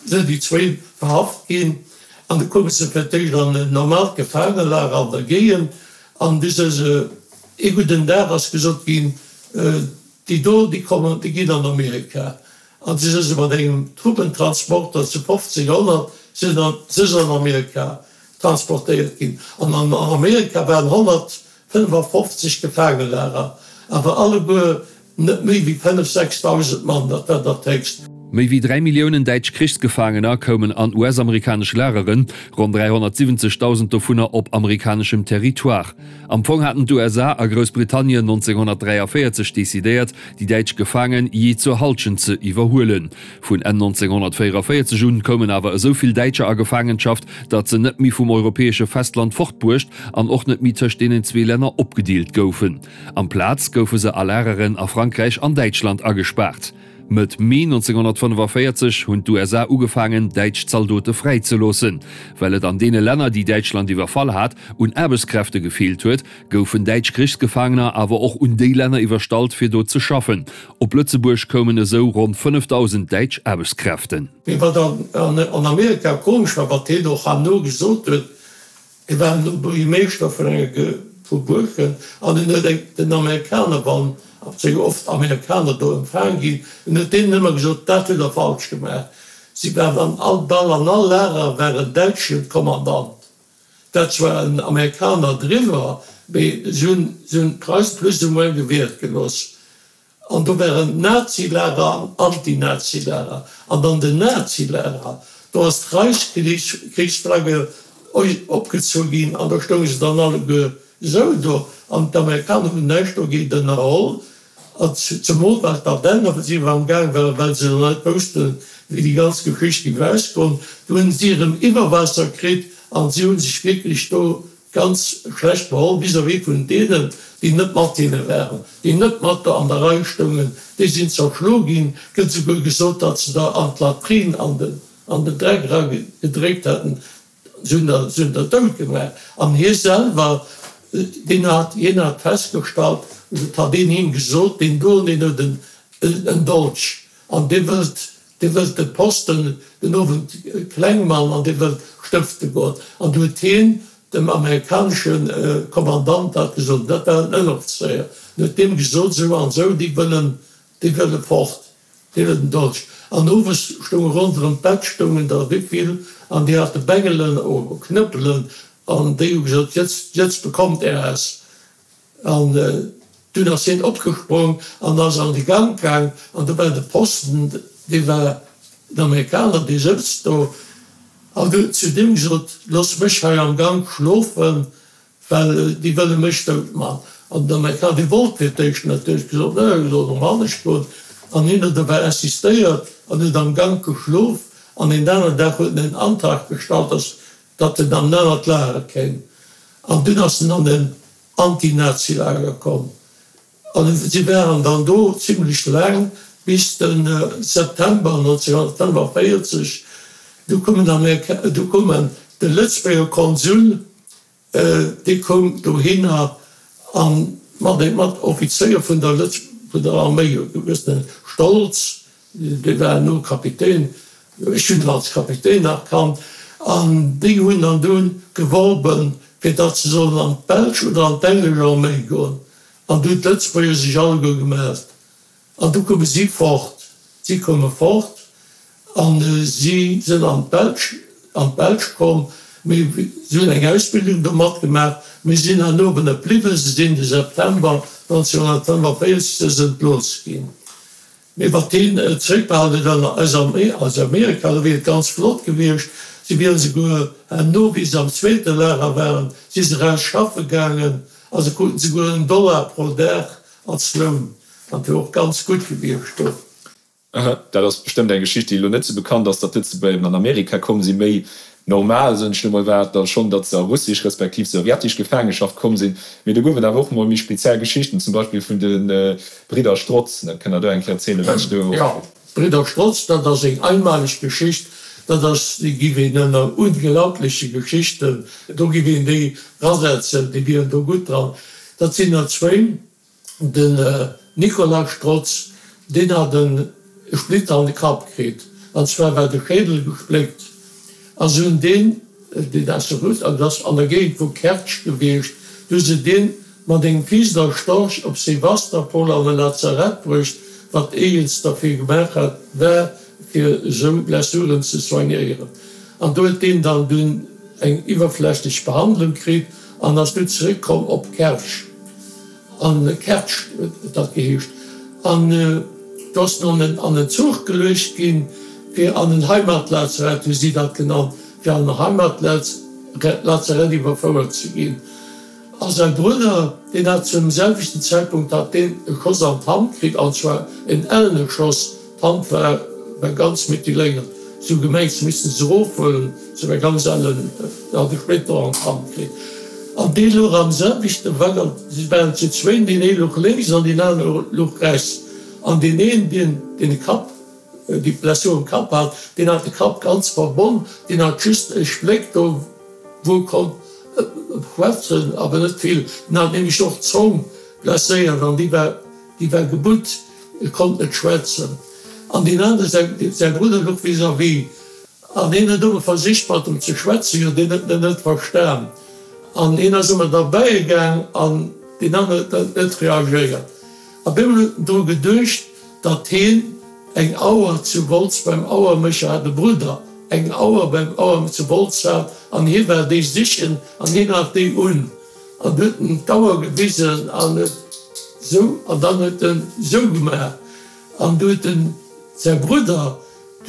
sinn déi zwéin verhaft ginn an du koume se fir d'éischt an en normaalt Gefaangelager an der Géigend an du si se, ee gudden Dag ass gesot ginn, déi do, déi kommen, déi ginn an Amerika. An si si mat engem Truppentransporter zu fofzénghonnert sinn se an Amerika transportéiert ginn. An an Amerika waren honnertfënnefafofzeg Gefaangelager, awer alleguer net méi wéi fënnef, sechsdausend Mann, dat war dat héchst. Méi wéi dräi Milliounen däitsch Krichsgefaangener koumen an U S-amerikanesch Lageren, ronn dräihonnertsiwwenzegdausend dovunner op amerikaneschem Territoire. Am Fong haten d'U S A a Groussbritannien nonzénghonnertdräiavéierzeg decidéiert, déi däitsch Gefaange jee zur Hallschent ze iwwerhuelen. Vun Enn nonzénghonnertvéieravéierzeg un koumen awer esou vill Däitscher a Gefaangenschaft, datt se net méi vum europäesche Festland fortbruecht an och net méi tëscht deenen zwee Länner opgedeelt goufen. Amplaz goufe se a Lageren a Frankräich an Däitschland agespaart. Mëtt Mee nonzénghonnertfënnefavéierzeg hunn d'U S A ugefaangen, däitsch Zaldote fräizeloossen. Well et an deene Länner, déi Däitschland iwwerfall hat, un Aarbechtskräfte gefeelt huet, goufen däitsch Krichsgefaangener awer och un déi Länner iwwerstallt, fir do ze schaffen. Op Lëtzebuerg koumen esou ronn fënnefdausend däitsch Aarbechtskräften. Mee wat an Amerika komesch war, wat hien och herno gesot huet, Hie war elo Buergermeeschter vun enger vu Buergen an en huet eng den Amerikaner, wann sou oft Amerikaner do empfaang ginn, en huet deenen ëmmer gesot, dat hutt der falsch gemaach. Si waren an all, bal an all Lager war en däitschen Kommandant. Dat war en Amerikaner driwwer, mee si hunn, si hunn d'Preise plus ou moins gewiert gelooss. An do waren Nazilager an Antinazilager. An an den Nazilager, do ass d'Reichskrichsflagge opgezu ginn an do stounge se dann alleguer esou do. An d'Amerikaner hunn näischt dogéint ënnerholl. An zemol well d'Ardennen-Offensiv am Gaang war, well se dann net woussten, wéi déi ganz Geschicht géif ausgoen. Do hunn si erëm Iwwerwaasser kritt an si hu sech wierklech do ganz schlecht beholl vis-à-vis vun deenen, déi net mat hinne waren, déi net mat do an der Rei stoungen. Déi sinn zerschlo ginn. Et gëtt souguer gesot, datt se der an d'Latrine an den an den Dreck era gedréckt hätten. Se hunn der se hunn der dout gemaach. An hie selwer, deen hat hien hat festgestallt, oder et hat een him gesot, deen do, deen huet en en Dolch an dee wëllt dee wëllt de Posten den Owend kleng man an dee wëllt stëfte goen. An du huet hien dem amerikanesche Kommandant dat gesot, dat war en Ënneroffizéier, en huet deem gesot, esou an esou, déi wëllen, déi wëlle fort, déi wëllen den Dolch. An owes stounge ronderëm d'Bett stoungen der wéivill, an déi hate Bengelen oder Knëppelen, an déi hu gesot, Jetzt, jetzt bekommt er es. An dunn ass hien opgesprong an ass an de Gank gaang, an do war de Posten, dee war en Amerikaner, dee souz do. An huet zu deem gesot, Looss mech hei am Gank schlofen, well déi wëlle mech dout man. An den Amerikaner, dee wollt fir d'éischt net, huet gesot, Nee, ech soll erëm anescht goen. An hien huet awer insistéiert an huet am Gank geschlof. An een aneren Dag huet en en Antrag gestallt, dass datt en an en anert Lager kéim. An dunn ass en an en Anti-Nazi-Lager komm. An si waren dann do zimlech laang, bis de September nonzénhunnertfënnefenvéierzeg. Du koumen Amerika, du koumen de Lëtzebuerger Konsul, dee koum dohinner a mat mat Offizéier vun der Lëtz, vun der Arméi, e gewëssene Stolz, dee war elo Kapitän, ech hunn en als Kapitän nach kannt, an déi hunn dann dunn geworben, fir datt se sollen an d'belsch oder an d'englesch Arméi goen. An du hunn d'Lëtzebuerger sech alleguer gemellt. An du koume si fort. Si koume fort a si sinn an d'Belsch, an d'Belsch komm. Mee si hunn eng Ausbildung do matgemaach, mee si sinn herno awer net bliwwen. Si sinn de September nonzénhunnertfënnefenvéierzeg si se entlooss ginn. Mee wat hien zeréckbehalen huet aus Amerika, do wier et ganz flott gewiescht. Si wieren souguer herno, wéi se am zweete Lager waren, si se eraus schaffe gaangen a se kruten souguer en Dollar pro Dag als Loun. Dat wier och ganz gutt gewiescht do. Dat ass bestëmmt eng Geschicht, déi elo net sou bekannt ass, datt d'Lëtzebuerger eben an Amerika komm sinn. Méi normal, soen ech elo mol, war et da schonn, datt se a russesch respektiv sowjetesch Gefaangeschaft komm sinn. Mee do gouf et awer och mol méi speziell Geschichten, zum Beispill vun de Bridder Strotz. Dat kënnt Der do eng Kéier erzielen, wat sech do. Jo, d'Bridder Strotz, dat ass eng einmaleg Geschicht. Dat ass, déi giff een ënner unglaubliche Geschichten, do giff een déi rasetzen, déi wieren do gutt dran. Dat sinn der zwéin. Den Nicolas Strotz, deen hat e Splitter an de Kapp kritt, an zwar war de Schädel gespléckt, a se hunn deen, deen ass de Russ, an dat ass an der Géigend vu Kertsch gewiescht, du hu se deen mat engem Fliger Storch op Sewastopol an e Lazarett bruecht, wat eegens derfir gemaach hat war, fir esou Blessuren ze soignéieren. An do huet deen dann dunn eng iwwerflächlech Behandlung kritt an ass du zeréckkomm op Kertsch. An Kertsch huet dat geheescht. An do ass en an en Zuch geluecht ginn, fir an en Heimatlazarett, hu si dat genannt, fir an en Heimatlazarett iwwerfouert ze ginn. A säi Brudder, deen hat zum selwechten Zäitpunkt hat deen e Schoss an d'Hand kritt, an zwar en ellene Schoss, d'Hand war war ganz mutiléiert, si hu gemengt, se missten se erofhuelen, se war ganz ellen, en hat e Splitter an d'Hand kritt. An dee louch am selwechte Waggon, si waren zu zwéin, deen ee louch lénks an deen anere louch rechts. An deen een, deen deen de Kapp, déi Blessur um Kapp hat, deen hat de Kapp ganz verbonn, deen hat just e Spléck do, wou e konnt schwätzen, awer net vill. Deen hat nämlech och d'Zong blesséiert an déi war, déi war gebutt, e konnt net schwätzen. An deen anere, säi, säi Brudder louch vis-à-vis. An hien huet ëmmer versicht mat em ze schwätzen, jo deen huet en net verstan. An hien ass ëmmer derbäi gaang an deen aneren huet net reagéiert. Op eemol huet en dru geduecht, datt hien eng Auer zu Wolz beim Auermécher hat, e Brudder eng Auer beim Auer zu Wolz hat an hie war déi sichen an hien hat déi un an huet en d'Auer gewisen an huet sou an dann huet en sou gemaach an du huet en säi Brudder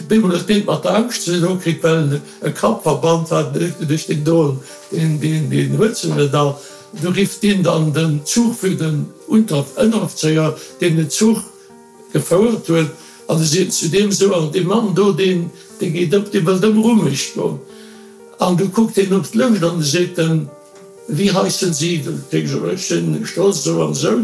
bemol huet deen mat der Angscht ze dinn kritt well en e Kappverband hat an huet geduecht deen doen deen deen deen huet se net all. Du rifft deen dann den Zuchführer den Unter Ënneroffzéier deen den Zuch gefouert huet an e seet zu deem esou, An dee Mann do, deen, dee geet ëm, dee wëllt ëm Rummecht goen. An du kuckt hien op d'Lëscht an e seet en, Wie heissen Sie? Du kriss ech ech sinn Strolz esou an esou.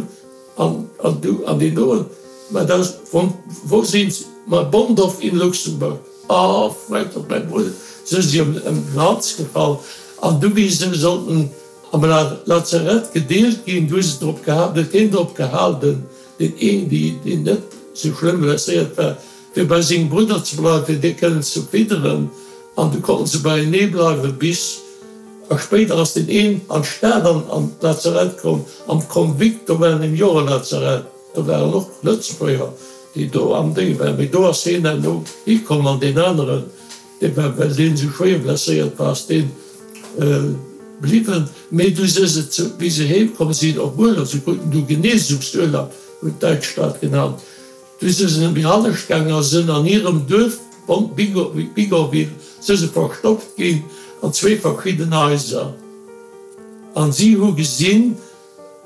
An, an du, an deen doen, Ma da, von wo sind Sie? Ma Bonndorf in Luxemburg. Ah, freet op mäi Brudder, sou si ëm den Hals gefall. An du, wéi se sollten am Lazarett gedeelt ginn, du hu se drop geha, huet hien drop gehalten, deen een, deen net sou schlëmm blesséiert war, fir bei sengem Brudder ze bleiwen, fir dee kënnen ze fidderen, an du konnten se beienee bleiwen bis a spéider ass deen een an d'Stad an an d'Lazarett komm, am Convict, do war nämlech och e Lazarett, do waren och Lëtzebuerger, déi do am Dénge waren, mee do ass hien herno hikomm an deen aneren, dee war, well deen esou schwéier blesséiert war, ass deen bliwwen, mee du se se zu, wéi se heem komm sinn op Urlaub, se kruten du Genesungsurlaub, hunn d'Däitsch dat genannt, du se se méi hannescht gaangen a sënn an hirem Duerf Bigorville se se verstoppt ginn an zwee verschidden Haiser. An si hu gesinn,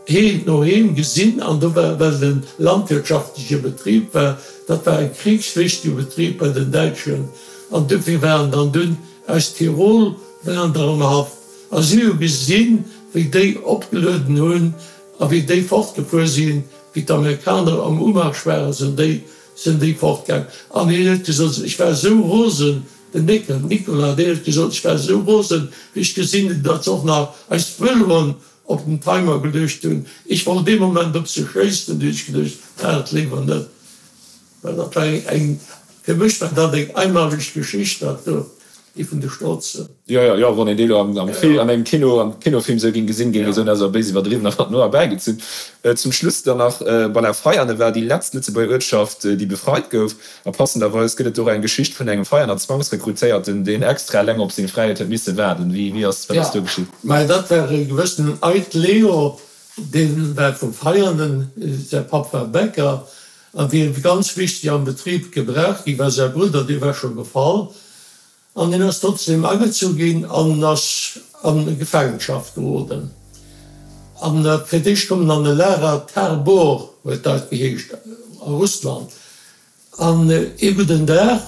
heen no heem gesinn, an do war, well et e landwirtschaftleche Betrib war, dat war e kriegswichtige Betrib bei den Däitschen, an dofir waren dann dunn aus Tirol waren der am Haff, a si hu gesinn, wéi déi opgelueden hunn a wéi déi fortgefuer sinn, wéi d'Amerikaner am Umarsch waren, sinn déi, sinn déi fortgaang. An hien huet gesot, ech war esou rosen, den Néckel, Nicolas, deen huet gesot, ech war esou rosen, wéi ech gesinn hunn, datt se och nach eis Vëloen op den Timer geluecht hunn. Ech wollt dee Moment op se schéissen, du hunn ech geduecht, maach et léiwer net. Well dat war eng, fir mech war dat eng einmaleg Geschicht, dat do, déi vun de Strotze. Jo, jo, jo, wann een déi elo am Film, an engem Kino, am Kinofilm esou géing gesinn, géing ee soen, dat ass awer béis iwwerdriwwen a mat no erbäigezunn. Zum Schluss dann nach, Voilà, Veianen war déi letzt Lëtzebuerger Uertschaft, déi befreit gouf. A passenderweis gëtt et do och eng Geschicht vun engem Veianer Zwangsrekrutéierten, deen extra eleng op seng Fräiheet huet misse waarden. Wéi, wéi ass, wat ass do geschitt? Mä dat war e gewëssenen Eid Leo, dee war vu Veianen, säi Papp war Bäcker a wier ganz wichteg am Betrib gebraucht ginn, well säi Brudder, dee war scho gefall. An hien ass trotzdem agezu ginn an ass a Gefaangenschaft geroden. An fir d'éischt koum en an e Lager, Tabor huet dat geheescht, a Russland. An ee gudden Dag,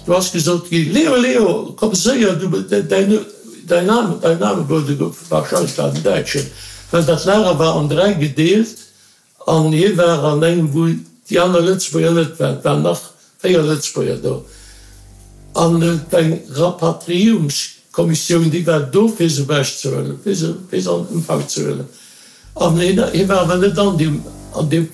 do ass gesot ginn, Leo, Leo, komm séier, du, däin, däin Name, däin Name wurde ge, wahrscheinlech war et en Däitschen, well dat Lager war an dräi gedeelt an hie war an engem, wou déi aner Lëtzebuerger net waren. Et waren nach véier Lëtzebuerger do. An et war eng Rapatriierungskommissioun, déi war do fir se ewechzehuelen, fir se, fir se an Empfang ze huelen. An hien, hie war awer net an deem, an deem,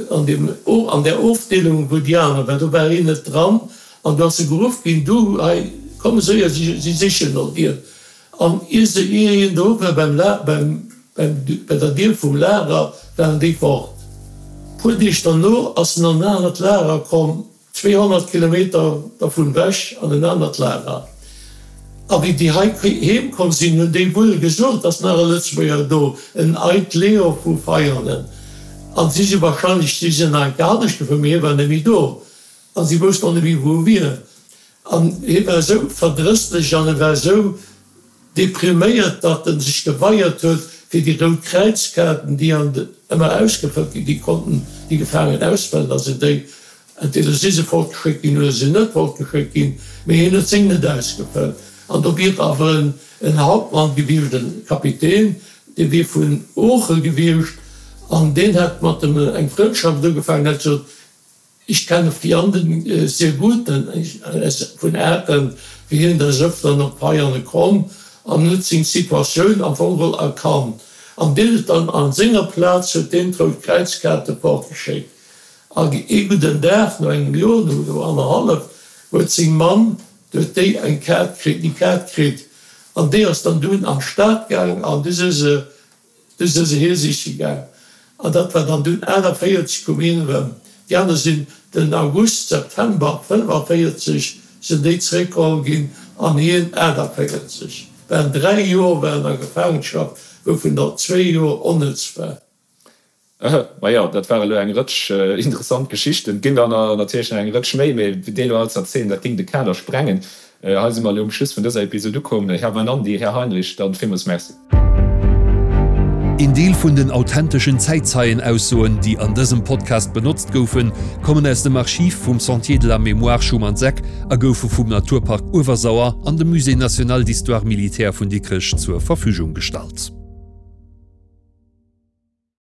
an deem, an där Ofdeelung, wou déi aner waren, do war hien net dran. An du ass e geruff ginn, Du, hei, komm séier, si, si sichen no dir. An ier se, ier hien do war beim La, beim, beim, bei der Dier vum Lager, waren déi fort. Puer Deeg derno ass en an en anert Lager komm. Zweehonnert Kilometer dervun wech an en anert Lager. A wéi déi hei heem komm sinn, hunn déi wuel gesot, ass nach e Lëtzebuerger do, en Eid Leo vu Veianen. An si si wahrscheinlech, si sinn nach eng Kéier anescht gefuer, mee hie war net méi do. An si woussten och net méi, wou e wier. An hie war esou verdrësslech an e war esou depriméiert, datt en sech geweiert huet, fir déi rout Kräizkaarten, déi an ëmmer ausgefëllt ginn, déi konnten déi Gefaangen ausfëllen, da sinn déi Entweder si se fortgeschéckt ginn oder si sinn net fortgeschéckt ginn, mee hien huet seng net ausgefëllt. An do wier awer en Hauptmann gewiescht, e Kapitän, dee wier vun Ooche gewiescht an deen hätt mat em eng Frëndschaft ugefaangen, hätt gesot, Ich kenne Vianden sehr gut, vun Aachen wier hien des Öfteren op Veiane komm an huet seng Situatioun am Fong geholl erkannt. An deen huet dann a senger Plaz huet deen d'Rout Kräizkaarte fortgeschéckt. A ee gudden Dag, no engem Joer, no annerhallef, huet seng Mamm, huet déi eng Kaart kritt, déi Kaart kritt, an déi ass dann dunn an d'Stad gaang an du si se, du si se hie siche gaang. An dat war dann dunn achtundvéierzeg koum hien erëm. Déi aner sinn den August, September fënnefaviertzeg sinn déi zeréckgeholl ginn an hien aachtavéierzeg. Waren dräi Joer war en a Gefaangenschaft, wouvun der zwee Joer onnëtz war. Majo, dat ware lo eng Rëtsch interessant Geschichten. Et ginn der natierlech nach eng Rëtsch méi, mee déi elo all ze erzielen, dat géing de Kader sprengen. Hei si mer elo um Schluss vun dëser Episod ukomm. Här Weinandy, Här Heinrich, dann villmools Merci. Een Deel vun den authenteschen Zäitzeienaussoen, déi an dësem Podcast benotzt goufen, kommen aus dem Archiv vum Sentier de la Mémoire Schumann-Seck a goufe vum Naturpark Uewersauer an dem Musée national d'histoire militaire vun Dikrech zur Verfügung gestallt.